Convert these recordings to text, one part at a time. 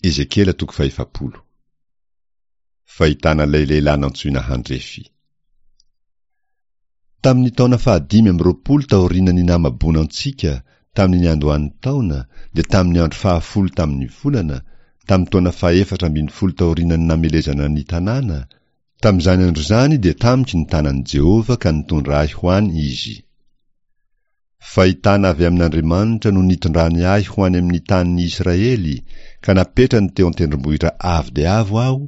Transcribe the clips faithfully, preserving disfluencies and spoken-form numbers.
Ezekiela toko fahefapolo. Fahitana ilay lehilahy nantsoina handrefy. Tamin'ny taona fahadimy amby roapolo taorian'ny namaboana antsika, tamin'ny niandohan'ny taona, dia tamin'ny andro fahafolo tamin'ny volana, tamin'ny taona fahefatra ambin'ny folo taorian'ny namelezana ny tanàna, tamin'izany andro izany dia tamiko ny tanan'i Jehovah ka nitondra ahy ho any Izy. Fahitana avy amin'Andriamanitra no nitondrany ahy ho any amin'ny tanin'ny Israely, ka napetrany teo an-tendrombohitra avo dia avo aho,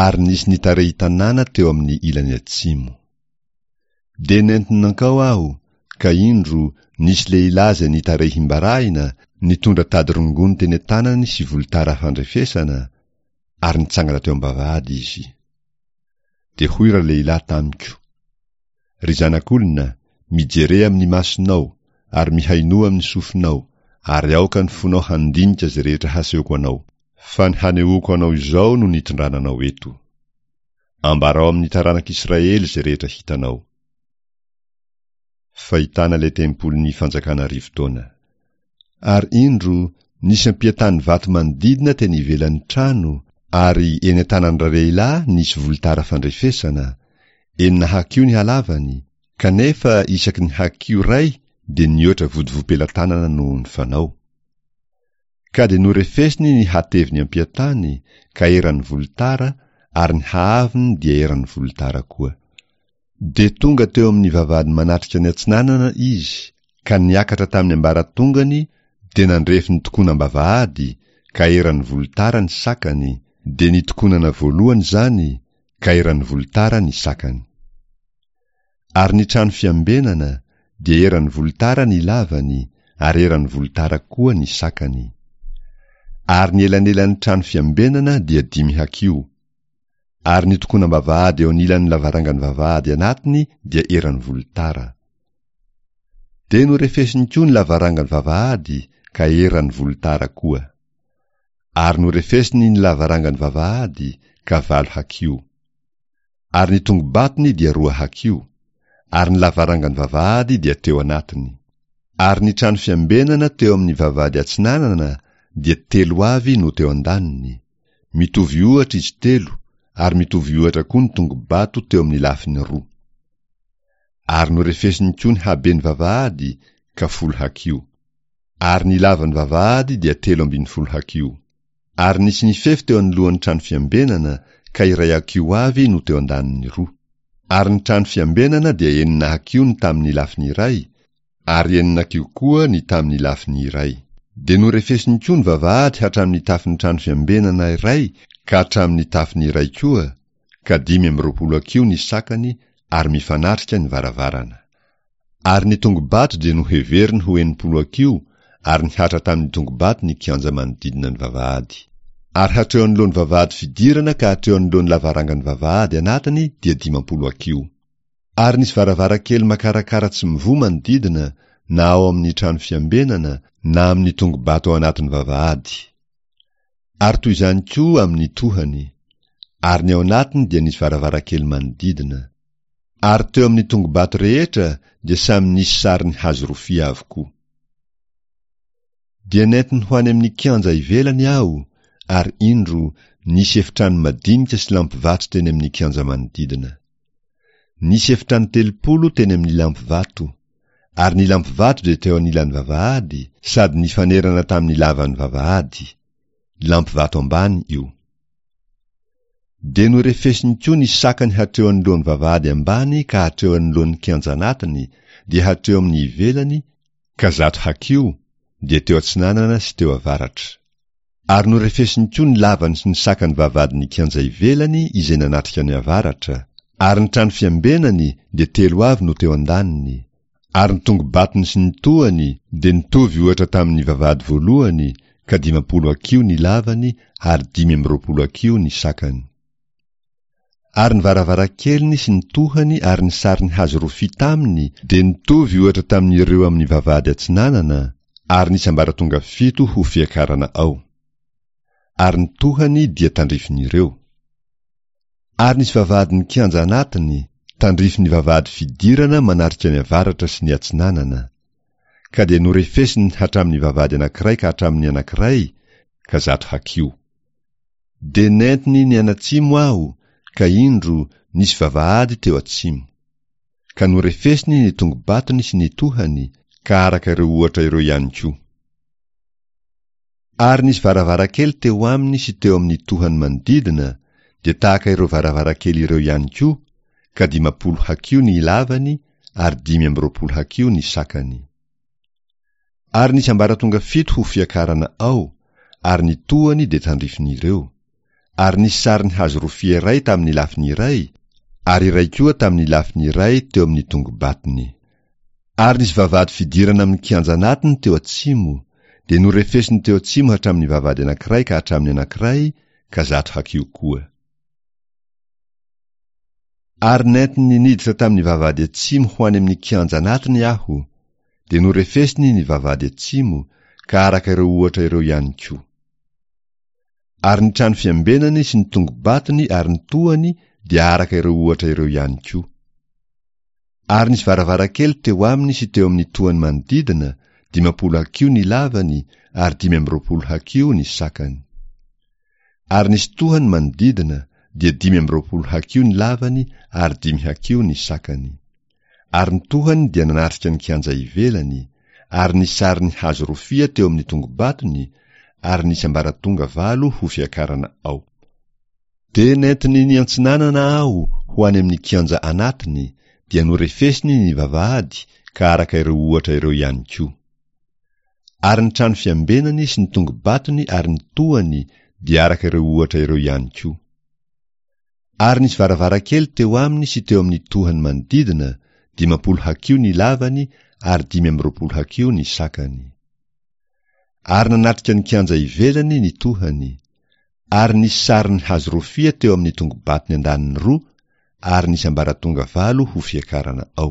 ary nisy nitarehi-tanàna teo amin'ny ilany atsimo. Dia nentiny nankao aho, ka indro, nisy lehilahy izay nitarehim-barahina, nitondra tady rongony teny an-tanany sy volotara fandrefesana, ary nitsangana teo am-bavahady izy. Dia hoy ralehilahy tamiko, Ry zanak'olona, mijere amin'ny masonao, ary mihainoa amin'ny sofinao, ary aoka ny fonao handinika izay rehetra hasehoko anao, fa ny hanehoako anao izao no nitondrana anao eto. Ambarao amin'ny taranak'Israely izay rehetra hitanao. Fahitana ilay tempolin'ny fanjakana arivo taona. Ary indro, nisy ampiantany vato manodidina teny ivelan'ny trano, ary eny an-tanan-dralehilahy nisy volotara fandrefesana, enina hakiho ny halavany, kanefa isaky ny hakiho iray dia nihoatra vodivoam-pelatanana noho ny fanao. Ka dia norefesiny ny hateviny ampiantany, ka eran'ny volotara, ary ny haavony dia eran'ny volotara koa. Dia tonga teo amin'ny vavahady manatrika ny atsinanana izy, ka niakatra tamin'ny ambaratongany, dia nandrefy ny tokonam-bavahady, ka eran'ny volotara ny sakany, dia ny tokonana voalohany izany, ka eran'ny volotara ny sakany. Ary ny trano fiambenana, dia eran'ny volotara ny lavany, ary eran'ny volotara koa ny sakany. Ary ny elanelan'ny trano fiambenana dia dimy hakiho. Ary ny tokonam-bavahady eo anilan'ny lavarangan'ny vavahady anatiny dia eran'ny volotara. Dia norefesiny koa ny lavarangan'ny vavahady ka eran'ny volotara koa. Ary norefesiny ny lavarangan'ny vavahady ka valo hakiho. Ary ny tongo-batony dia roa hakiho, ary ny lavarangan'ny vavahady dia teo anatiny. Ary ny trano fiambenana teo amin'ny vavahady atsinanana dia telo avy no teo an-daniny. Mitovy ohatra izy telo, ary mitovy ohatra koa ny tongo-bato teo amin'ny lafiny roa. Ary norefesiny koa ny haben'ny vavahady ka folo hakiho. Ary ny lavan'ny vavahady dia telo ambin'ny folo hakiho. Ary nisy nifefy teo anoloan'ny trano fiambenana ka iray hakiho avy no teo an-daniny roa. Ary ny trano fiambenana dia enina hakiho ny tamin'ny lafiny iray, ary enina hakiho koa ny tamin'ny lafiny iray. Dia norefesiny koa ny vavahady hatramin'ny tafon'ny trano fiambenana iray ka hatramin'ny tafony iray koa, ka dimy amby roapolo hakiho ny sakany ary mifanatrika ny varavarana. Ary ny tongo-bato dia noheveriny ho enimpolo hakiho ary nihatra tamin'ny tongo-bato ny kianja manodidina ny vavahady. Ary hatreo anoloan'ny vavahady fidirana ka hatreo anoloan'ny lavarangan'ny vavahady anatiny dia dimampolo hakiho. Ary nisy varavarankely makarakara tsy mivoha manodidina na ao amin'ny trano fiambenana na amin'ny tongo-bato ao anatin'ny vavahady. Ary toy izany koa amin'ny tohany. Ary ny ao anatiny dia nisy varavarankely manodidina. Ary teo amin'ny tongo-bato rehetra dia samy nisy sarin'ny hazo rofia avokoa. Dia nentiny ho any amin'ny kianja ivelany aho, ary indro, nisy efitrano madinika sy lampivato teny amin'ny kianja manodidina. Nisy efitrano telopolo teny amin'ny lampivato, ary ny lampivato dia teo anilan'ny vavahady sady nifanerana tamin'ny lavan'ny vavahady. Lampivato ambany io. Dia norefesiny koa ny sakany hatreo anoloan'ny vavahady ambany ka hatreo anoloan'ny kianja anatiny, dia hatreo amin'ny ivelany, ka zato hakiho, dia teo atsinanana sy teo avaratra. Ary norefesiny koa ny lavany sy ny sakany vavahadin'ny kianja ivelany izay nanatrika ny avaratra, ary ny trano fiambenany dia telo avy no teo an-daniny, ary ny tongo-batony sy ny tohany dia nitovy ohatra tamin'ny vavahady voalohany, ka dimampolo hakiho ny lavany ary dimy amby roapolo hakiho ny sakany. Ary ny varavarankeliny sy ny tohany ary ny sariny hazo rofia taminy dia nitovy ohatra tamin'ireo amin'ny vavahady atsinanana, ary nisy ambaratonga fito ho fiakarana ao. Ary ny tohany dia tandrifin'ireo. Ary nisy vavahadin'ny kianja anatiny, tandrifin'ny vavahady fidirana manatrika ny avaratra sy ny atsinanana. Ka dia norefesiny hatramin'ny vavahady anankiray ka hatramin'ny anankiray, ka zato hakiho. Dia nentiny nianatsimo aho, ka indro, nisy vavahady teo atsimo. Ka norefesiny ny tongo-batony sy ny tohany, ka araka ireo ohatra ireo ihany koa. Ary nisy varavarankely teo aminy sy teo amin'ny tohany manodidina, dia tahaka ireo varavarankely ireo ihany koa, ka dimampolo hakiho ny lavany ary dimy amby roapolo hakiho ny sakany. Ary nisy ambaratonga fito ho fiakarana ao, ary ny tohany dia tandrifin'ireo. Ary nisy sarin'ny hazo rofia iray tamin'ny lafiny iray, ary iray koa tamin'ny lafiny iray teo amin'ny tongo-batony. Ary nisy vavahady fidirana amin'ny kianja anatiny teo atsimo, dia norefesiny teo atsimo hatramin'ny vavahady anankiray ka hatramin'ny anankiray, ka zato hakiho koa. Ary nentiny niditra tamin'ny vavahady atsimo ho any amin'ny kianja anatiny aho, dia norefesiny ny vavahady atsimo, ka araka ireo ohatra ireo ihany koa. Ary ny trano fiambenany sy ny tongo-batony ary ny tohany dia araka ireo ohatra ireo ihany koa. Ary nisy varavarankely teo aminy sy teo amin'ny tohany manodidina, dimampolo hakiho ny lavany ary dimy amby roapolo hakiho ny sakany. Ary nisy tohany manodidina, dia dimy amby roapolo hakiho ny lavany ary dimy hakiho ny sakany. Ary ny tohany dia nanatrika ny kianja ivelany, ary nisy sarin'ny hazo rofia teo amin'ny tongo-batony, ary nisy ambaratonga valo ho fiakarana ao. Dia nentiny niantsinanana aho ho any amin'ny kianja anatiny, dia norefesiny ny vavahady, ka araka ireo ohatra ireo ihany koa. Ary ny trano fiambenany sy ny tongo-batony ary ny tohany dia araka ireo ohatra ireo ihany koa. Ary nisy varavarankely teo aminy sy teo amin'ny tohany manodidina, dimampolo hakiho ny lavany ary dimy amby roapolo hakiho ny sakany. Ary nanatrika ny kianja ivelany ny tohany, ary nisy sarin'ny hazo rofia teo amin'ny tongo-batony andaniny roa, ary nisy ambaratonga valo ho fiakarana ao.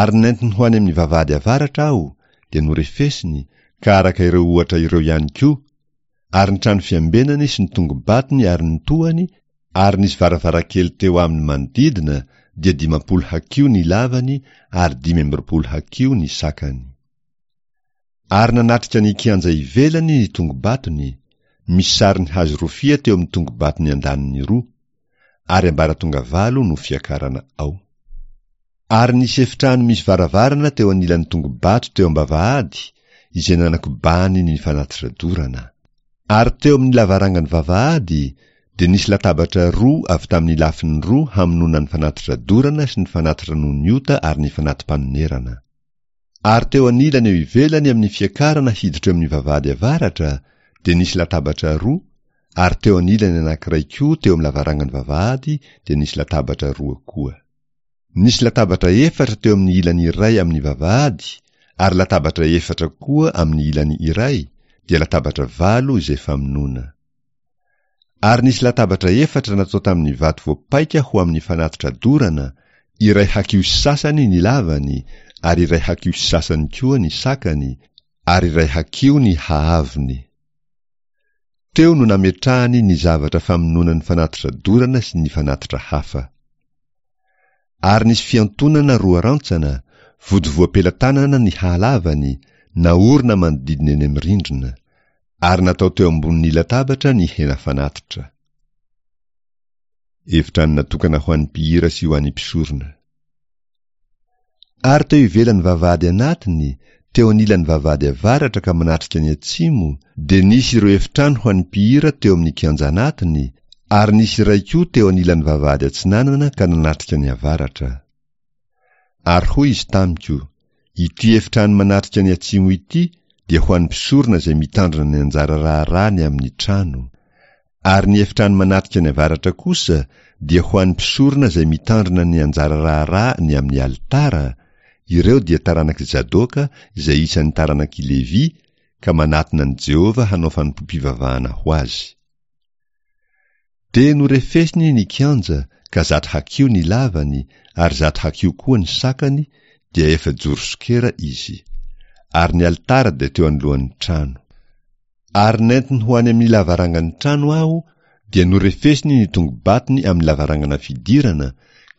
Ary nentiny ho any amin'ny vavahady avaratra aho, dia norefesiny, ka araka ireo ohatra ireo ihany koa, ary ny trano fiambenany sy ny tongo-batony ary ny tohany, ary nisy varavarankely teo aminy manodidina, dia dimampolo hakiho ny lavany ary dimy amby roapolo hakiho ny sakany. Ary nanatrika ny kianja ivelany ny tongo-batony, misy sarin'ny hazo rofia teo amin'ny tongo-batony andaniny roa, ary ambaratonga valo no fiakarana ao. Ary nisy efitrano misy varavarana teo anilan'ny tongo-bato teo am-bavahady, izay nanakobahany ny fanatitra dorana. Ary teo amin'ny lavarangan'ny vavahady dia nisy latabatra roa avy tamin'ny lafiny roa hamonoana ny fanatitra dorana sy ny fanatitra noho ny ota ary ny fanati-panonerana. Ary teo anilany eo ivelany amin'ny fiakarana hiditra eo amin'ny vavahady avaratra dia nisy latabatra roa, ary teo anilany anankiray koa teo amin'ny lavarangan'ny vavahady dia nisy latabatra roa koa. Nisy latabatra efatra teo amin'ny ilany iray amin'ny vavahady, ary latabatra efatra koa amin'ny ilany iray, dia latabatra valo izay famonoana. Ary nisy latabatra efatra natao tamin'ny vato voapaika ho amin'ny fanatitra dorana, iray hakiho sy sasany ny lavany, ary iray hakiho sy sasany koa ny sakany, ary iray hakiho ny haavony. Teo no nametrahany ny zavatra famonoana ny fanatitra dorana sy ny fanatitra hafa. Ary nisy fiantonana roa rantsana, vodivoam-pelatanana ny halavany, naorina manodidina eny amin'ny rindrina, ary natao teo ambonin'ny latabatra ny hena fanatitra. Efitrano natokana ho an'ny mpihira sy ho an'ny mpisorona. Ary teo ivelan'ny vavahady anatiny, teo anilan'ny vavahady avaratra ka manatrika ny atsimo, dia nisy ireo efitrano ho an'ny mpihira teo amin'ny kianja anatiny, ary nisy iray koa teo anilan'ny vavahady atsinanana ka nanatrika ny avaratra. Ary hoy izy tamiko, Ity efitrano manatrika ny atsimo ity dia ho an'ny mpisorona izay mitandrina ny anjara raharaha ny amin'ny trano. Ary ny efitrano manatrika ny avaratra kosa dia ho an'ny mpisorona izay mitandrina ny anjara raharaha ny amin'ny alitara, ireo dia taranak'i Zadoka izay isan'ny taranak'i Levy ka manatona an'i Jehovah hanao fanompoam-pivavahana ho azy. Dia norefesiny ny kianja ka zato hakiho ny lavany ary zato hakiho koa ny sakany, dia efa-joro sokera izy. Ary ny alitara dia teo anoloan'ny trano. Ary nentiny ho any amin'ny lavarangan'ny trano aho, dia norefesiny ny tongo-batony amin'ny lavarangana fidirana,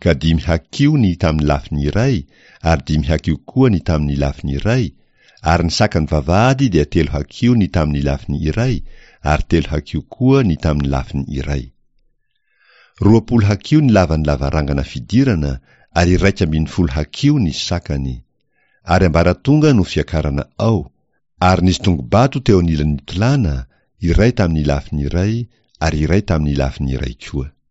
ka dimy hakiho ny tamin'ny lafiny iray, ary dimy hakiho koa ny tamin'ny lafiny iray, ary ny sakan'ny vavahady dia telo hakiho ny tamin'ny lafiny iray, ary telo hakiho koa ny tamin'ny lafiny iray. Roapolo hakiho ny lavan'ny lavarangana fidirana ary iraika ambin'ny folo hakiho ny sakany. Ary ambaratonga no fiakarana ao, ary nisy tongo-bato teo anilan'ny tolàna, iray tamin'ny lafiny iray ary iray tamin'ny lafiny iray koa.